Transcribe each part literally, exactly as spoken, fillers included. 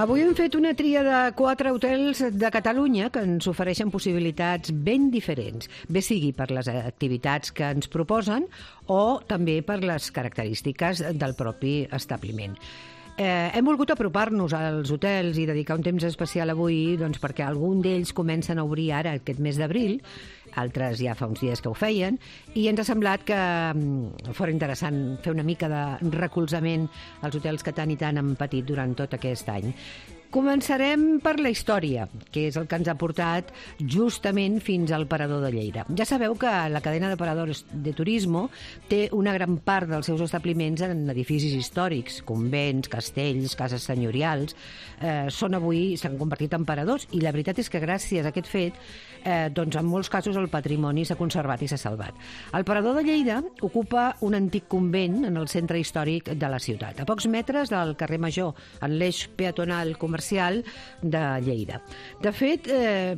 Avui hem fet una tria de quatre hotels de Catalunya que ens ofereixen possibilitats ben diferents, bé sigui per les activitats que ens proposen o també per les característiques del propi establiment. Eh, hem volgut apropar-nos als hotels i dedicar un temps especial avui doncs, perquè algun d'ells comencen a obrir ara aquest mes d'abril, altres ja fa uns dies que ho feien, i ens ha semblat que fos interessant fer una mica de recolzament als hotels que tant i tant han patit durant tot aquest any. Començarem per la història, que és el que ens ha portat justament fins al Parador de Lleida. Ja sabeu que la cadena de paradors de turisme té una gran part dels seus establiments en edificis històrics, convents, castells, cases senyorials. Eh, són avui, s'han convertit en paradors, i la veritat és que gràcies a aquest fet, eh, doncs en molts casos el patrimoni s'ha conservat i s'ha salvat. El Parador de Lleida ocupa un antic convent en el centre històric de la ciutat, a pocs metres del carrer Major, en l'eix peatonal comercial de Lleida. De fet, eh,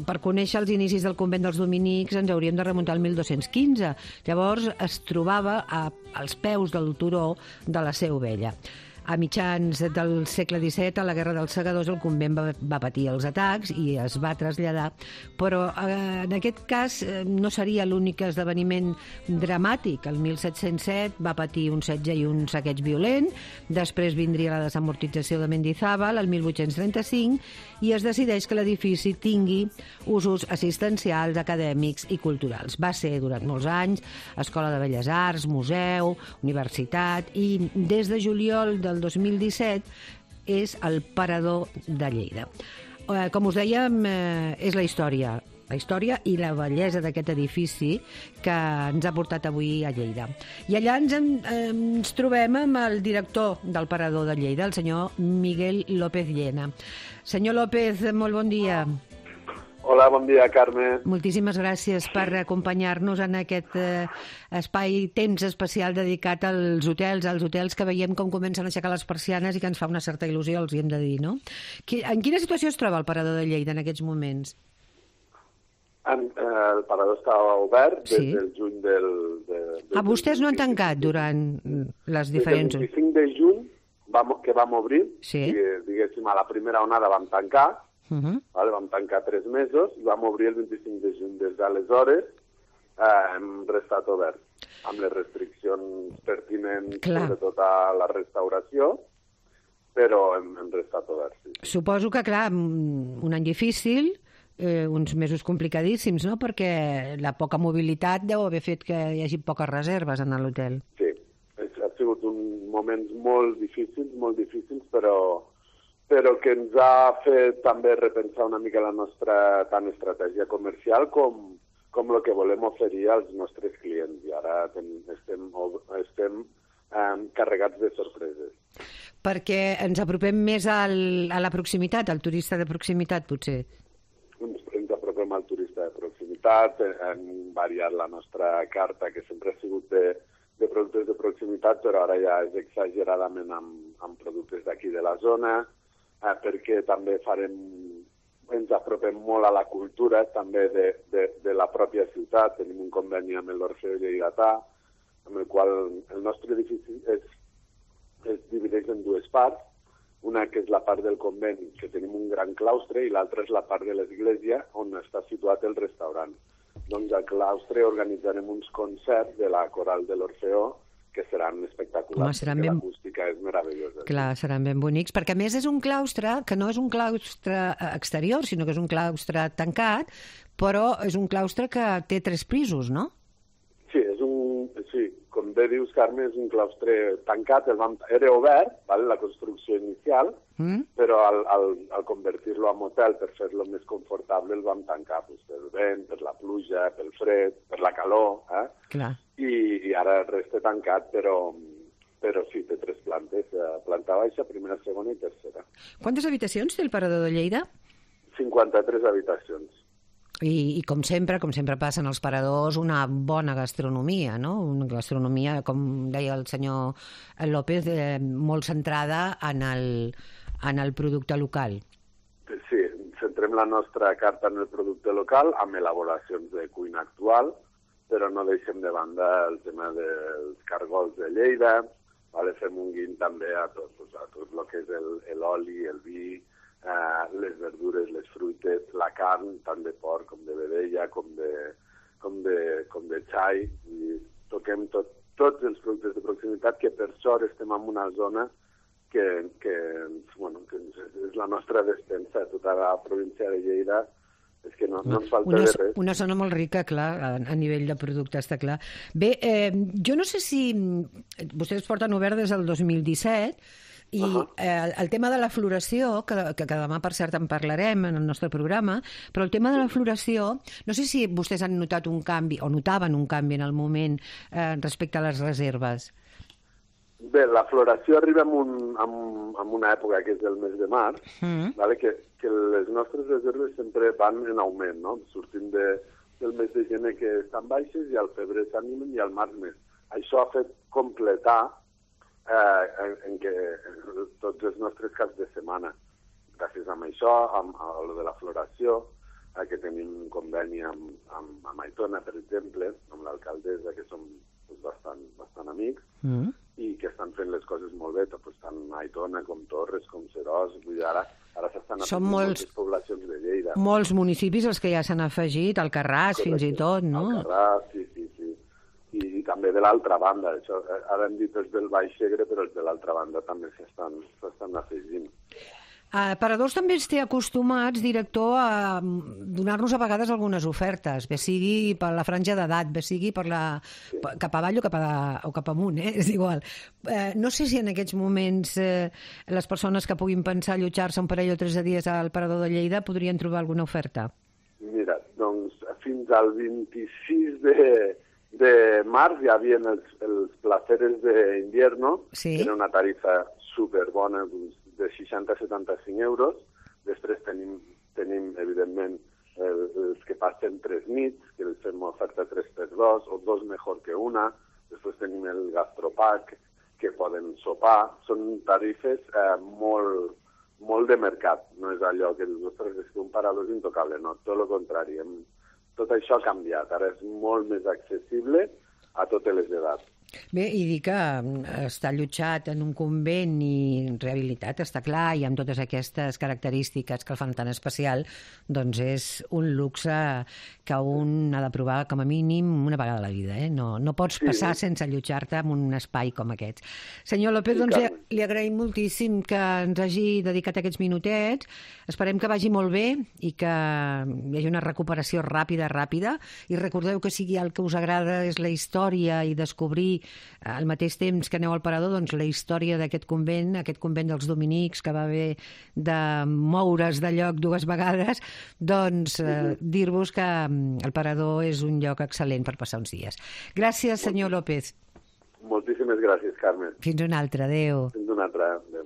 per conèixer els inicis del convent dels dominics ens hauríem de remuntar al mil dos-cents quinze. Llavors es trobava a, als peus del turó de la Seu Vella. A mitjans del segle disset, a la Guerra dels Segadors, el convent va, va patir els atacs i es va traslladar, però eh, en aquest cas eh, no seria l'únic esdeveniment dramàtic. El mil set-cents set va patir un setge i un saqueig violent, després vindria la desamortització de Mendizábal, el mil vuit-cents trenta-cinc, i es decideix que l'edifici tingui usos assistencials, acadèmics i culturals. Va ser durant molts anys Escola de Belles Arts, museu, universitat, i des de juliol del dos mil disset és el Parador de Lleida. Eh, com us dèiem, eh, és la història, la història i la bellesa d'aquest edifici que ens ha portat avui a Lleida. I allà ens, en, eh, ens trobem amb el director del Parador de Lleida, el senyor Miguel López Llena. Senyor López, molt bon dia. Hola, bon dia, Carme. Moltíssimes gràcies per acompanyar-nos en aquest eh, espai, temps especial dedicat als hotels, als hotels que veiem com comencen a aixecar les persianes i que ens fa una certa il·lusió, els hi hem de dir, no? En quina situació es troba el Parador de Lleida en aquests moments? En, eh, el Parador estava obert des sí. del juny del... De, ah, vostès no han tancat durant les diferents... Des del vint-i-cinc de juny vam, que vam obrir, sí. diguéssim, a la primera onada vam tancar, Uh -huh. vale? Vam tancar tres mesos i vam obrir el vint-i-cinc de juny. Des d'aleshores eh, hem restat oberts, amb les restriccions pertinents, clar, sobretot a la restauració, però hem, hem restat oberts. Sí. Suposo que, clar, un any difícil, eh, uns mesos complicadíssims, no?, perquè la poca mobilitat deu haver fet que hi hagi poques reserves en l'hotel. Sí, ha sigut un moments molt difícils, molt difícils, però... però que ens ha fet també repensar una mica la nostra tant estratègia comercial com, com el que volem oferir als nostres clients. I ara ten, estem, estem eh, carregats de sorpreses. Perquè ens apropem més al, a la proximitat, al turista de proximitat, potser? Ens, ens apropem al turista de proximitat, hem variat la nostra carta, que sempre ha sigut de, de productes de proximitat, però ara ja és exageradament amb, amb productes d'aquí de la zona, Eh, perquè també farem, ens apropem molt a la cultura també de, de, de la pròpia ciutat. Tenim un conveni amb l'Orfeó Lleidatà, amb el qual el nostre edifici es, es divideix en dues parts, una que és la part del convent, que tenim un gran claustre, i l'altra és la part de l'església, on està situat el restaurant. Doncs al claustre organitzarem uns concerts de la coral de l'Orfeó, que seran espectaculars, Home, seran ben... l'acústica és meravellosa. Clar, seran ben bonics, perquè a més és un claustre que no és un claustre exterior, sinó que és un claustre tancat, però és un claustre que té tres pisos, no? Sí, és un, sí, com bé dius, Carme, és un claustre tancat, el vam, era obert, vale, la construcció inicial, mm. però al, al, al convertir-lo en hotel per fer-lo més confortable el vam tancar, pues, pel vent, per la pluja, pel fred, per la calor, eh? Clar. I, i ara resta tancat, però, però sí, té tres plantes, planta baixa, primera, segona i tercera. Quantes habitacions té el Parador de Lleida? cinquanta-tres habitacions. I, i com sempre, com sempre passa en els paradors, una bona gastronomia, no? Una gastronomia, com deia el senyor López, eh, molt centrada en el, en el producte local. Sí, centrem la nostra carta en el producte local, amb elaboracions de cuina actual, però no deixem de banda el tema dels cargols de Lleida, vale? Fem un guiny també a tot, pues, a tot el que és l'oli, el, el vi, eh, les verdures, les fruites, la carn, tant de porc com de vedella, com de, com de, com de xai, i toquem tot, tots els productes de proximitat, que per sort estem en una zona que, que, bueno, que és la nostra despensa, tota la província de Lleida. És que no, no ens falta una, de res. Una zona molt rica, clar, a, a nivell de producte, està clar. Bé, eh, jo no sé si... Vostès porten obert des del dos mil disset i uh -huh. eh, el tema de la floració, que, que, que demà, per cert, en parlarem en el nostre programa, però el tema de la floració, no sé si vostès han notat un canvi, o notaven un canvi en el moment eh, respecte a les reserves. Bé, la floració arriba en, un, en, en una època que és el mes de març, mm. vale? que, que les nostres reserves sempre van en augment, no? Sortim de, del mes de gener que estan baixes i al febrer s'animen i al març més. Això ha fet completar eh, en, en què tots els nostres caps de setmana. Gràcies a això, amb, a lo de la floració, eh, que tenim un conveni amb, amb, amb Aitona, per exemple, amb l'alcaldessa, que som pues, bastant, bastant amics, mm. i que estan fent les coses molt bé, pues, tant Aitona com Torres, com Seròs, vull dir, ara, ara s'estan afegint moltes poblacions de Lleida. Molts municipis els que ja s'han afegit, Alcarràs fins i tot, no? Alcarràs, sí, sí, sí. I, i també de l'altra banda, això, ara hem dit els del Baix Segre, però els de l'altra banda també s'estan afegint. A Paradors també es té acostumats, director, a donar-nos a vegades algunes ofertes, bé sigui per la franja d'edat, bé sigui per la, sí. cap avall o cap, a, o cap amunt, eh? És igual. Eh, no sé si en aquests moments eh, les persones que puguin pensar allotjar-se un parell o tres de dies al Parador de Lleida podrien trobar alguna oferta. Mira, doncs fins al vint-i-sis de, de març hi havia els, els placeres d'invierno, sí. que era una tarifa superbona, doncs, de seixanta a setanta-cinc euros. Després tenim, tenim evidentment, eh, els que passen tres nits, que els fem oferta tres per dos, o dos millor que una. Després tenim el gastropack, que poden sopar. Són tarifes eh, molt, molt de mercat. No és allò que dius, ostres, és que un parador és intocable. No, tot el contrari. Hem, tot això ha canviat. Ara és molt més accessible a totes les edats. Bé, i dir que està allotjat en un convent i rehabilitat, està clar, i amb totes aquestes característiques que el fan tan especial, doncs és un luxe que un ha de provar com a mínim una vegada a la vida. Eh? No, no pots sí. passar sense allotjar-te en un espai com aquest. Senyor López, doncs li, li agraïm moltíssim que ens hagi dedicat aquests minutets. Esperem que vagi molt bé i que hi hagi una recuperació ràpida, ràpida. I recordeu que si el que us agrada és la història i descobrir al mateix temps que aneu al Parador, doncs la història d'aquest convent, aquest convent dels dominics que va haver de moure's de lloc dues vegades, doncs eh, dir-vos que el Parador és un lloc excel·lent per passar uns dies. Gràcies, senyor López. Moltíssimes gràcies, Carmen. Fins una altra, adéu. Fins una altra, adéu.